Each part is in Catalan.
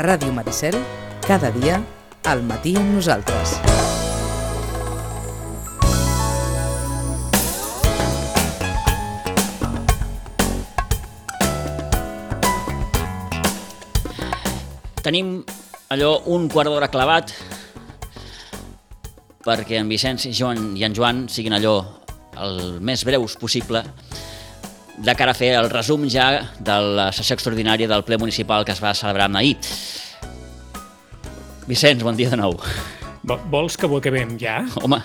Ràdio Maricel, cada dia, al matí amb nosaltres. Tenim allò un quart d'hora clavat perquè en Vicenç i en Joan siguin allò el més breus possible de cara a fer el resum ja de la sessió extraordinària del ple municipal que es va celebrar ahir. Vicenç, bon dia de nou. Vols que ho acabem ja? Home.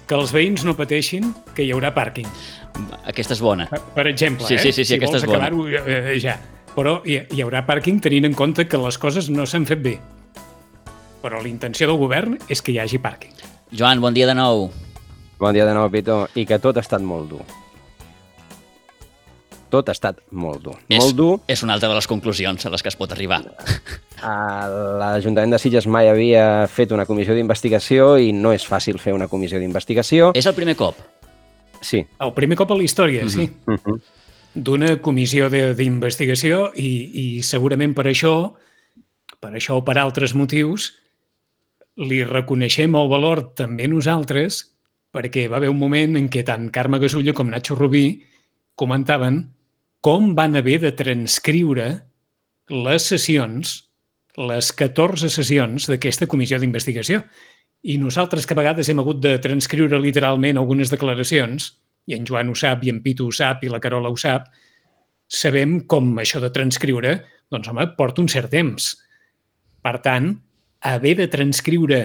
Que els veïns no pateixin, que hi haurà pàrquing. Aquesta és bona. Per exemple, sí, si aquesta vols és bona. acabar-ho ja. Però hi haurà pàrquing tenint en compte que les coses no s'han fet bé. Però la intenció del govern és que hi hagi pàrquing. Joan, bon dia de nou. Bon dia de nou, Pito. I que tot ha estat molt dur. Tot ha estat molt dur. Molt dur. És una altra de les conclusions a les que es pot arribar. L'Ajuntament de Sitges mai havia fet una comissió d'investigació i no és fàcil fer una comissió d'investigació. És el primer cop? Sí. El primer cop a la història, sí. D'una comissió d'investigació i segurament per això o per altres motius, li reconeixem el valor també nosaltres, perquè va haver un moment en què tant Carme Gasulla com Nacho Rubí comentaven com van haver de transcriure les sessions, les 14 sessions d'aquesta comissió d'investigació. I nosaltres que a vegades hem hagut de transcriure literalment algunes declaracions, i en Joan ho sap, i en Pitu ho sap, i la Carola ho sap, sabem com això de transcriure, doncs home, porta un cert temps. Per tant, haver de transcriure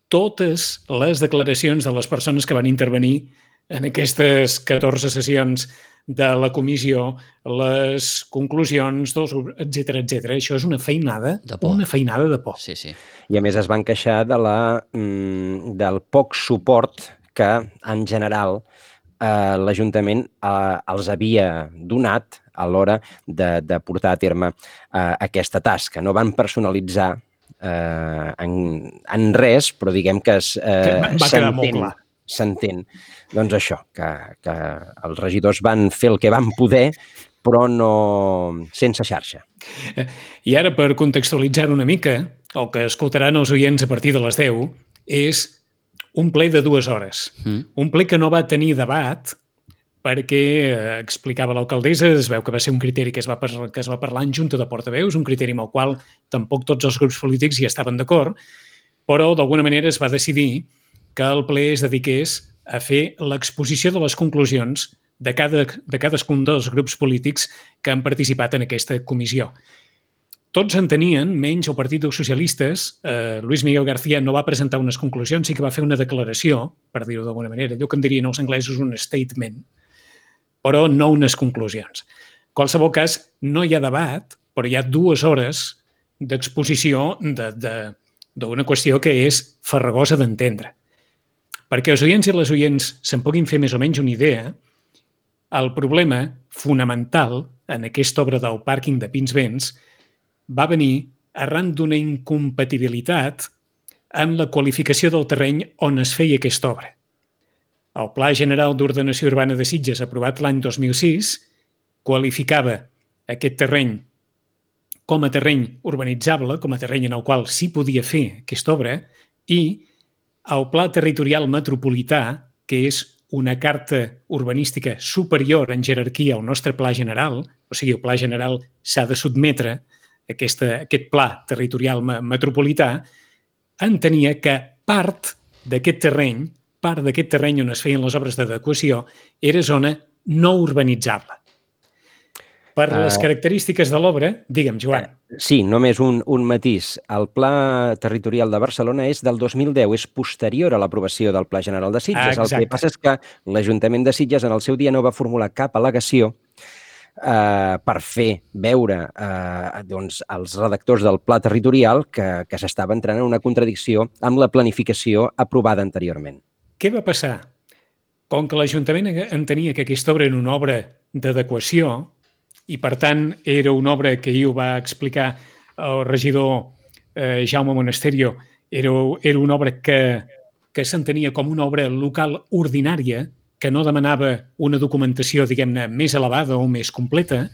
totes les declaracions de les persones que van intervenir en aquestes 14 sessions de la comissió, les conclusions, etc. Això és una feinada de por. Sí, sí. I a més es van queixar del poc suport que, en general, l'Ajuntament els havia donat a l'hora de portar a terme aquesta tasca. No van personalitzar en res, però diguem que va quedar molt clar. S'entén. Doncs això, que els regidors van fer el que van poder, però no sense xarxa. I ara, per contextualitzar una mica, el que escoltaran els oients a partir de les 10 és un ple de 2 hores. Un ple que no va tenir debat perquè, explicava l'alcaldessa, es veu que va ser un criteri que es va parlar en Junta de Portaveus, un criteri amb el qual tampoc tots els grups polítics hi estaven d'acord, però d'alguna manera es va decidir que el ple es dediqués a fer l'exposició de les conclusions de cadascun dels grups polítics que han participat en aquesta comissió. Tots en tenien, menys el Partit dels Socialistes. Luis Miguel García no va presentar unes conclusions, sí que va fer una declaració, per dir-ho d'alguna manera, allò que en dirien els anglesos un statement, però no unes conclusions. En qualsevol cas, no hi ha debat, però hi ha 2 hores d'exposició d'una qüestió que és farragosa d'entendre. Perquè els oients i les oients se'n puguin fer més o menys una idea, el problema fonamental en aquesta obra del pàrquing de Pinsbens va venir arran d'una incompatibilitat en la qualificació del terreny on es feia aquesta obra. El Pla General d'Ordenació Urbana de Sitges, aprovat l'any 2006, qualificava aquest terreny com a terreny urbanitzable, com a terreny en el qual s'hi podia fer aquesta obra, i el Pla Territorial Metropolità, que és una carta urbanística superior en jerarquia al nostre Pla General, o sigui, el Pla General s'ha de sotmetre a aquest Pla Territorial Metropolità, entenia que part d'aquest terreny on es feien les obres d'adequació era zona no urbanitzable. Per les característiques de l'obra, digue'm, Joan. Sí, només un matís. El Pla Territorial de Barcelona és del 2010, és posterior a l'aprovació del Pla General de Sitges. El que passa és que l'Ajuntament de Sitges en el seu dia no va formular cap al·legació per fer veure als redactors del Pla Territorial que s'estava entrant en una contradicció amb la planificació aprovada anteriorment. Què va passar? Com que l'Ajuntament entenia que aquesta obra era una obra d'adequació, i, per tant, era una obra que ahir ho va explicar el regidor Jaume Monasterio, era una obra que s'entenia com una obra local ordinària, que no demanava una documentació, diguem-ne, més elevada o més completa,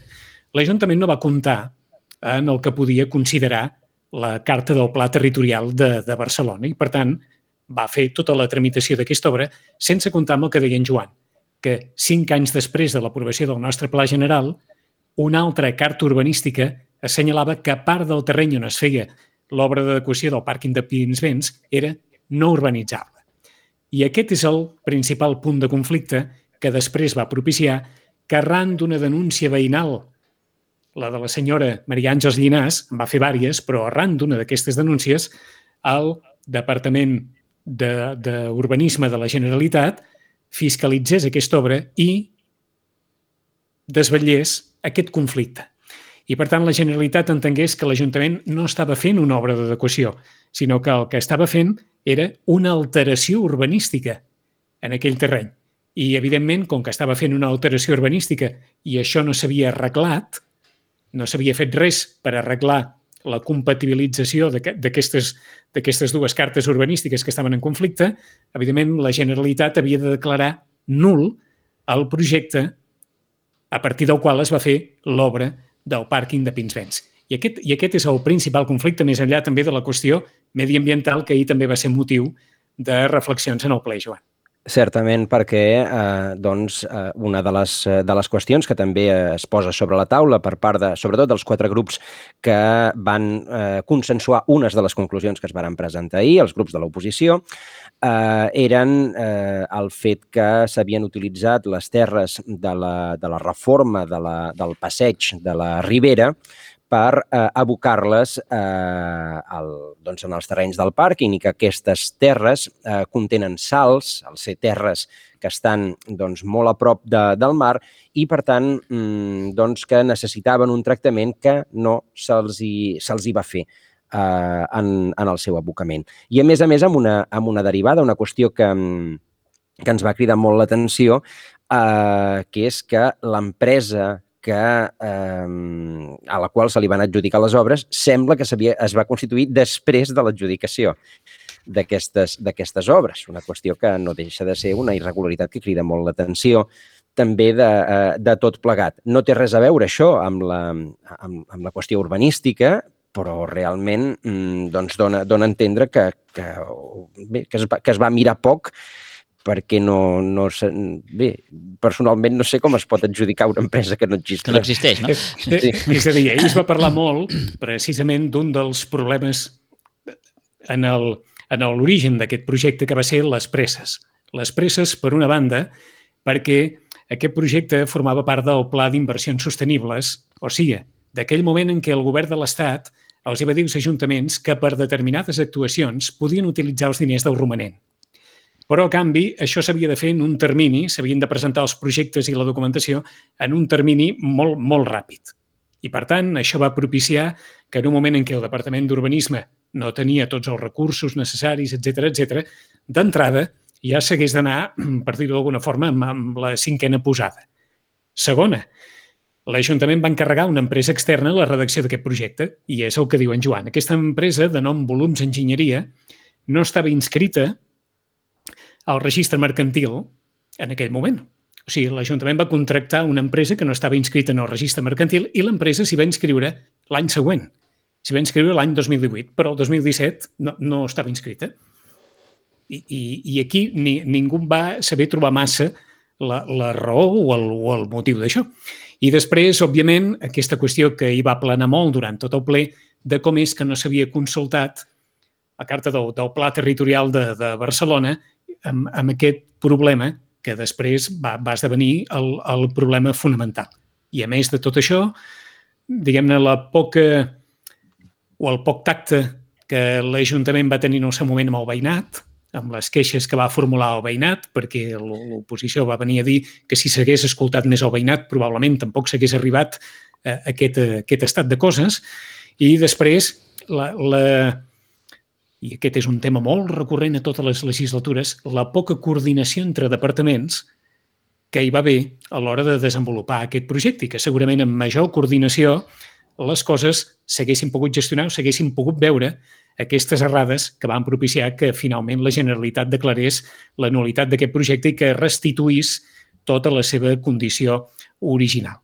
l'Ajuntament no va comptar en el que podia considerar la carta del Pla Territorial de Barcelona i, per tant, va fer tota la tramitació d'aquesta obra sense comptar amb el que deia en Joan, que 5 anys després de l'aprovació del nostre Pla General, una altra carta urbanística assenyalava que part del terreny on es feia l'obra d'adequació del pàrquing de Pinsbens era no urbanitzable. I aquest és el principal punt de conflicte que després va propiciar que arran d'una denúncia veïnal, la de la senyora Maria Àngels Llinàs, en va fer vàries, però arran d'una d'aquestes denúncies, el Departament d'Urbanisme de la Generalitat fiscalitzés aquesta obra i desvetllés aquest conflicte. I, per tant, la Generalitat entengués que l'Ajuntament no estava fent una obra d'adequació, sinó que el que estava fent era una alteració urbanística en aquell terreny. I, evidentment, com que estava fent una alteració urbanística i això no s'havia arreglat, no s'havia fet res per arreglar la compatibilització d'aquestes dues cartes urbanístiques que estaven en conflicte, evidentment, la Generalitat havia de declarar nul el projecte a partir del qual es va fer l'obra del pàrquing de Pinsbens. I aquest és el principal conflicte, més enllà també de la qüestió mediambiental, que ahir també va ser motiu de reflexions en el ple, Joan. Certament, perquè una de les qüestions que també es posa sobre la taula per part sobretot dels 4 grups que van consensuar unes de les conclusions que es van presentar ahir, els grups de l'oposició, eren el fet que s'havien utilitzat les terres de la reforma del passeig de la Ribera per abocar-les en els terrenys del pàrquing i que aquestes terres contenen sals, al ser terres que estan molt a prop del mar i, per tant, que necessitaven un tractament que no se'ls hi va fer en el seu abocament. I, a més, amb una derivada, una qüestió que ens va cridar molt l'atenció, que és que l'empresa a la qual se li van adjudicar les obres sembla que es va constituir després de l'adjudicació d'aquestes obres. Una qüestió que no deixa de ser una irregularitat que crida molt l'atenció també de tot plegat. No té res a veure això amb la qüestió urbanística, però realment dona a entendre que es va mirar poc perquè bé, personalment no sé com es pot adjudicar una empresa que no existeix. Que no existeix, no? Sí. És a dir, ahir es va parlar molt precisament d'un dels problemes en l'origen d'aquest projecte que va ser les presses. Les presses, per una banda, perquè aquest projecte formava part del Pla d'Inversions Sostenibles, o sigui, d'aquell moment en què el govern de l'Estat els va dir als ajuntaments que per determinades actuacions podien utilitzar els diners del romanent. Però, a canvi, això s'havia de fer en un termini, s'havien de presentar els projectes i la documentació en un termini molt, molt ràpid. I, per tant, això va propiciar que en un moment en què el Departament d'Urbanisme no tenia tots els recursos necessaris, etc., d'entrada ja s'hagués d'anar, per dir-ho d'alguna forma, amb la 5a posada. Segona, l'Ajuntament va encarregar una empresa externa la redacció d'aquest projecte, i és el que diu en Joan. Aquesta empresa, de nom Volums Enginyeria, no estava inscrita al registre mercantil en aquell moment. O sigui, l'Ajuntament va contractar una empresa que no estava inscrita en el registre mercantil i l'empresa s'hi va inscriure l'any següent. S'hi va inscriure l'any 2018, però el 2017 no estava inscrita. I aquí ningú va saber trobar massa la raó o el motiu d'això. I després, òbviament, aquesta qüestió que hi va planar molt durant tot el ple de com és que no s'havia consultat la carta del Pla Territorial de Barcelona amb aquest problema que després va esdevenir el problema fonamental. I a més de tot això, diguem-ne, el poc tacte que l'Ajuntament va tenir en el seu moment amb el veïnat, amb les queixes que va formular el veïnat, perquè l'oposició va venir a dir que si s'hagués escoltat més el veïnat probablement tampoc s'hagués arribat a aquest estat de coses. I després, i aquest és un tema molt recurrent a totes les legislatures, la poca coordinació entre departaments que hi va haver a l'hora de desenvolupar aquest projecte i que segurament amb major coordinació les coses s'haguessin pogut gestionar o s'haguessin pogut veure aquestes errades que van propiciar que finalment la Generalitat declarés la nul·litat d'aquest projecte i que restituís tota la seva condició original.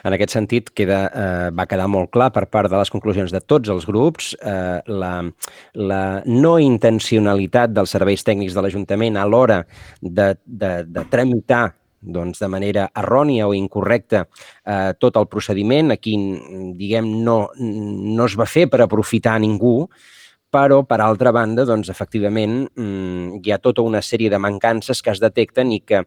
En aquest sentit, va quedar molt clar per part de les conclusions de tots els grups la no intencionalitat dels serveis tècnics de l'Ajuntament a l'hora de tramitar de manera errònia o incorrecta tot el procediment. Aquí, diguem, no es va fer per aprofitar ningú, però, per altra banda, efectivament, hi ha tota una sèrie de mancances que es detecten i que,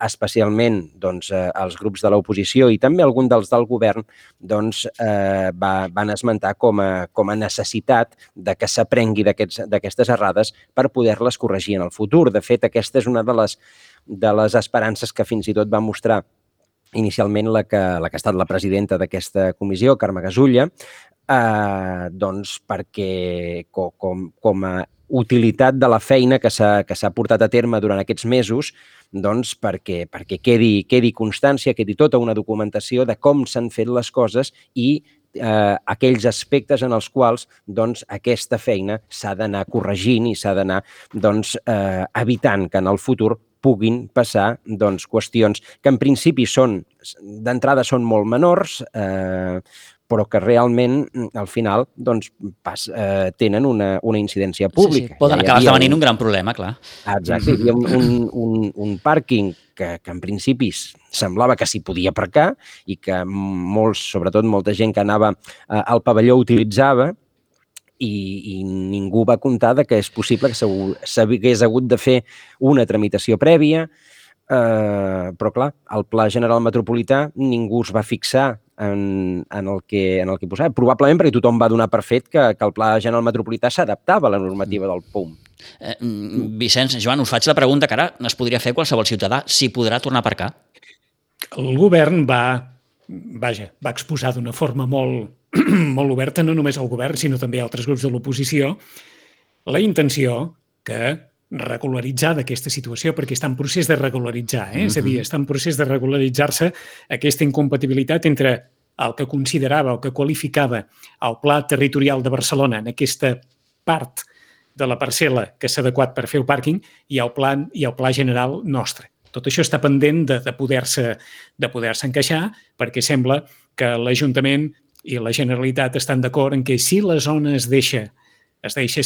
especialment, els grups de l'oposició i també algun dels del govern van esmentar com a necessitat de que s'aprengui d'aquestes errades per poder-les corregir en el futur. De fet, aquesta és una de les esperances que fins i tot va mostrar inicialment la que ha estat la presidenta d'aquesta comissió, Carme Gasulla, perquè com a utilitat de la feina que s'ha portat a terme durant aquests mesos, perquè quedi constància, quedi tota una documentació de com s'han fet les coses i aquells aspectes en els quals aquesta feina s'ha d'anar corregint i s'ha d'anar evitant que en el futur puguin passar qüestions que en principi d'entrada són molt menors, però que realment, al final, tenen una incidència pública. Sí. Poden acabar esdevenint un gran problema, clar. Exacte. Hi havia un pàrquing que en principi semblava que s'hi podia aparcar i que sobretot molta gent que anava al pavelló utilitzava, i ningú va comptar que és possible que s'hagués hagut de fer una tramitació prèvia, però clar, al Pla General Metropolità ningú es va fixar en el que posava, probablement perquè tothom va donar per fet que el Pla General Metropolità s'adaptava a la normativa del PUM. Vicenç, Joan, us faig la pregunta que ara es podria fer qualsevol ciutadà, si podrà tornar a aparcar? El govern va exposar d'una forma molt oberta, no només al govern, sinó també a altres grups de l'oposició, la intenció que regularitzar d'aquesta situació, perquè està en procés de regularitzar, és a dir, està en procés de regularitzar-se aquesta incompatibilitat entre el que considerava o que qualificava el Pla Territorial de Barcelona en aquesta part de la parcel·la que s'ha adequat per fer el pàrquing i el pla general nostre. Tot això està pendent de poder-se encaixar, perquè sembla que l'Ajuntament i la Generalitat estan d'acord en que si la zona es deixa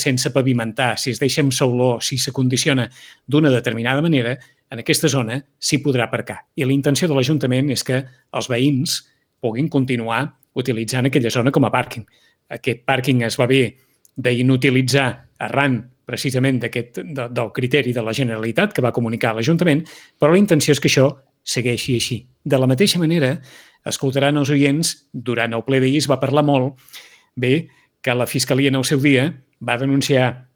sense pavimentar, si es deixa amb sauló, si s'acondiciona d'una determinada manera, en aquesta zona s'hi podrà aparcar. I la intenció de l'Ajuntament és que els veïns puguin continuar utilitzant aquella zona com a pàrquing. Aquest pàrquing es va haver d'inutilitzar arran precisament del criteri de la Generalitat que va comunicar a l'Ajuntament, però la intenció és que això segueixi així. De la mateixa manera, escoltaran els oients, durant el ple d'ahir es va parlar molt, bé, que la Fiscalia en el seu dia va denunciar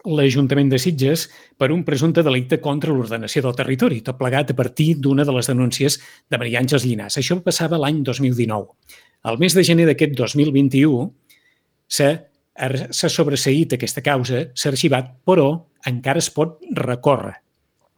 l'Ajuntament de Sitges per un presumpte delicte contra l'ordenació del territori, tot plegat a partir d'una de les denúncies de Maria Àngels Llinàs. Això passava l'any 2019. Al mes de gener d'aquest 2021 s'ha sobreseït aquesta causa, s'ha arxivat, però encara es pot recórrer.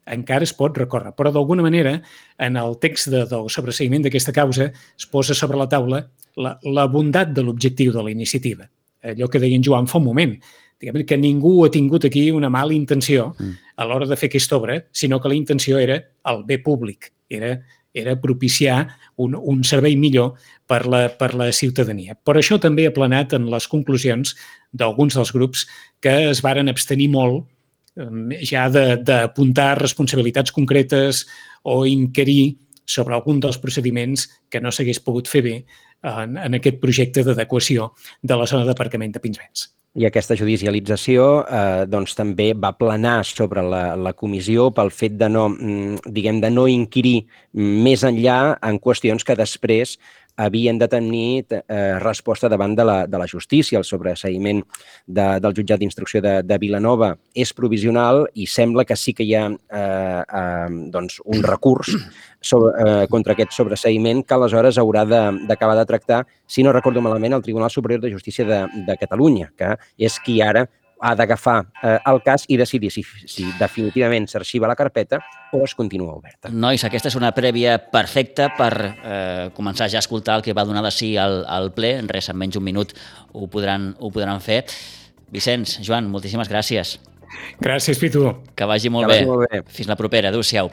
Però d'alguna manera, en el text del sobreseïment d'aquesta causa es posa sobre la taula la bondat de l'objectiu de la iniciativa. Allò que deia en Joan fa un moment, diguem que ningú ha tingut aquí una mala intenció a l'hora de fer aquesta obra, sinó que la intenció era el bé públic, era propiciar un servei millor per la ciutadania. Per això també ha planat en les conclusions d'alguns dels grups que es varen abstenir molt ja d'apuntar responsabilitats concretes o inquirir sobre algun dels procediments que no s'hagués pogut fer bé en aquest projecte d'adequació de la zona d'aparcament de Pinsbens. I aquesta judicialització també va planar sobre la comissió pel fet de no inquirir més enllà en qüestions que després havien de tenir resposta davant de la justícia. El sobreseïment del jutjat d'instrucció de Vilanova és provisional i sembla que sí que hi ha un recurs contra aquest sobreseïment que aleshores haurà d'acabar de tractar, si no recordo malament, el Tribunal Superior de Justícia de Catalunya, que és qui ara ha d'agafar el cas i decidir si definitivament s'arxiva la carpeta o es continua oberta. Nois, aquesta és una prèvia perfecta per començar ja a escoltar el que va donar de sí al ple. En res, en menys un minut ho podran fer. Vicenç, Joan, moltíssimes gràcies. Gràcies, Pitu. Que vagi molt bé. Fins la propera. Adéu-siau.